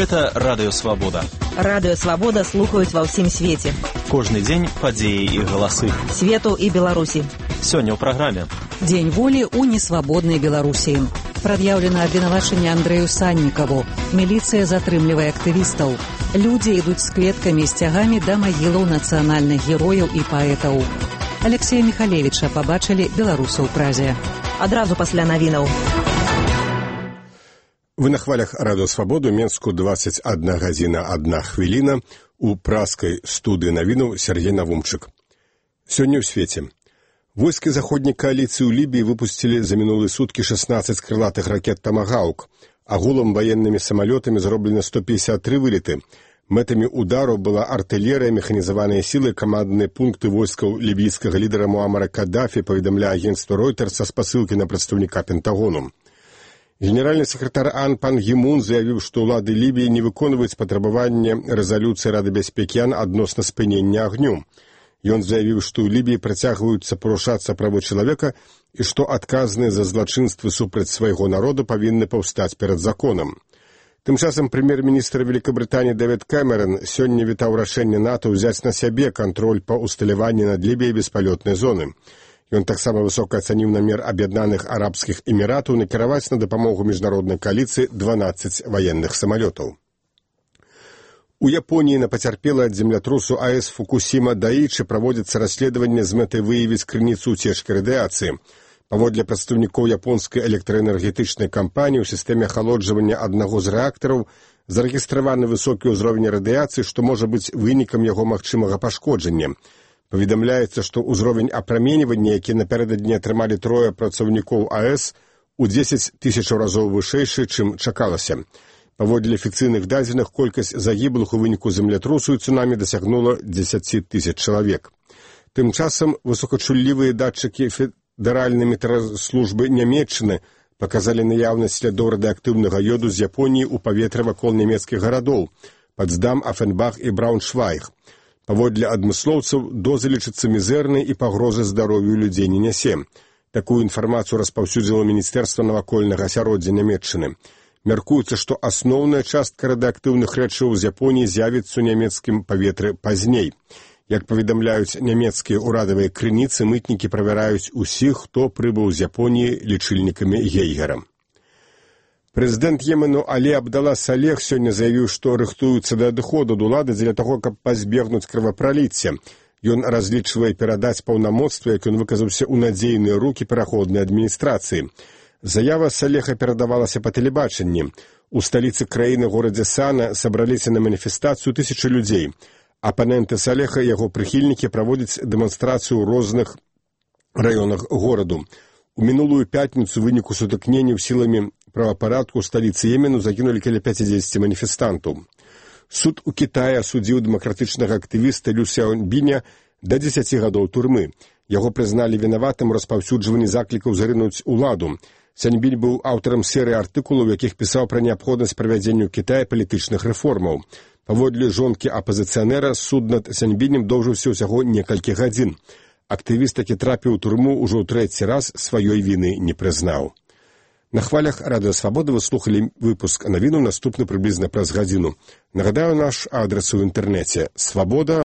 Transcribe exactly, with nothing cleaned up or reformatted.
Гэта Радыё Свабода. Радыё Свабода слухаюць ва ўсім свеце. Кожны дзень падзеі і галасы. Свету і Беларусі. Сёння ў праграме. Дзень волі ў несвабоднай Беларусі. Прад'яўлена абвінавачанне Андрэю Саннікаву. Міліцыя затрымлівае актывістаў. Людзі ідуць з кветкамі і сцягамі да магілаў нацыянальных герояў і паэтаў. Алексея Міхалевіча пабачылі беларусы ў Празе. Адразу пасля навінаў. Вы на хвалях Радыё Свабоду, Менску, двадцать одна гадзіна одна хвіліна, у праскай студыі навінаў Сергей Навумчык. Сёння ў свеце. Войскі заходняй кааліцыі ў Лібіі выпусцілі за мінулыя суткі шестнадцать крылатых ракет «Тамагаўк». Агулам ваеннымі самалётамі зроблена сто пятьдесят три вылеты. Мэтамі удару была артылерыя, механізаваныя сілы, камандныя пункты войскаў лібійскага лідара Муамара Каддафі, паведамляе агенцтва Reuters са спасылкі на прадстаўніка Пентагону. Генеральны сакратар АН пан Гі Мун заявіў, што ўлады Лібіі не выконваюць патрабаванне рэзалюцыі Рады бяспекі АН адносна спынення агню. Ён заявіў, што ў Лібіі працягваюцца парушацца правы чалавека і што адказныя за злачынствы супраць свайго народа павінны паўстаць перад законам. Тым часам прэм'ер-міністр Вялікабрытаніі Дэвід Кэмерон сёння вітаў рашэнне НАТО ўзяць на сябе кантроль па усталяванні над Лібіяй беспалётнай зоны. Ён таксама высока ацаніў намер Аб'яднаных Арабскіх Эміратаў накіраваць на дапамогу міжнароднай кааліцыі дванаццаць ваенных самалётаў. У Японіі на пацярпелай ад землятрусу АЭС Фукусіма Даічы праводзіцца расследаванне з мэтай выявіць крыніцу ўцечкі радыяцыі. Паводле прадстаўнікоў японскай электраэнергетычнай кампаніі ў сістэме ахалоджвання аднаго з рэактараў зарэгістраваны высокі ўзровень радыяцыі, што можа быць вынікам яго магчымага пашкоджання. Паведамляецца, што ўзровень апраменьвання, які напярэдадні атрымалі трое працаўнікоў АЭС, у дзесяць тысячаў разоў вышэйшы, чым чакалася. Паводле афіцыйных дадзеных, колькасць загіблых у выніку землятрусу і цунамі дасягнула дзесяць тысяч чалавек. Тым часам высокачуллівыя датчыкі федэральнай метэараслужбы Нямецчыны паказалі наяўнасць слядоў радыеактыўнага ёду з Японіі ў паветры вакол нямецкіх гарадоў Пацдам, Афенбах і Брауншвайг. Паводле адмыслоўцаў, доза лічыцца мізэрнай і пагрозы здароўю людзей не нясе. Такую інфармацыю распаўсюдзіла Міністэрства навакольнага асяроддзя Нямецчыны. Мяркуецца, што асноўная частка радыеактыўных рэчываў з Японіі з'явіцца ў нямецкім паветры пазней. Як паведамляюць нямецкія ўрадавыя крыніцы, мытнікі правяраюць усіх, хто прыбыў з Японіі лічыльнікамі Гейгера. Прэзідэнт Йемену Алі Абдала Салех сёння заявіў, што рыхтуецца да адыходу ад улады дзеля таго, каб пазбегнуць крывапраліцця. Ён разлічвае перадаць паўнамоцтва, як ён выказаўся, у надзейныя рукі пераходнай адміністрацыі. Заява Салеха перадавалася па тэлебачанні. У сталіцы краіны, горадзе Сана, сабраліся на маніфестацыю тысячы людзей. Апаненты Салеха і яго прыхільнікі праводзяць дэманстрацыю ў розных раёнах гораду. У мінулую пятніцу ў выніку сутыкненняў сіламі правапарадку ў сталіцы Йемену загінулі каля пяцідзесяці маніфестантаў. Суд у Кітаі асудзіў дэмакратычнага актывіста Лю Сяоньбіня да дзесяці гадоў турмы. Яго прызналі вінаватым у распаўсюджванні заклікаў зарынуць уладу. Сяоньбінь быў аўтарам серыі артыкулаў, якіх пісаў пра неабходнасць правядзення ў Кітаі палітычных рэформаў. Паводле жонкі апазіцыянера, суд над Сяоньбінем доўжыўся ўсяго некалькі гадзін. Актывіст, які трапіў у турму, ужо ў трэці раз сваёй віны не прызнаў. На хвалях Радыё Свабоды вы слухалі выпуск навінаў, наступны прыблізна праз гадзіну. Нагадаю, наш адрес у інтэрнэце свабода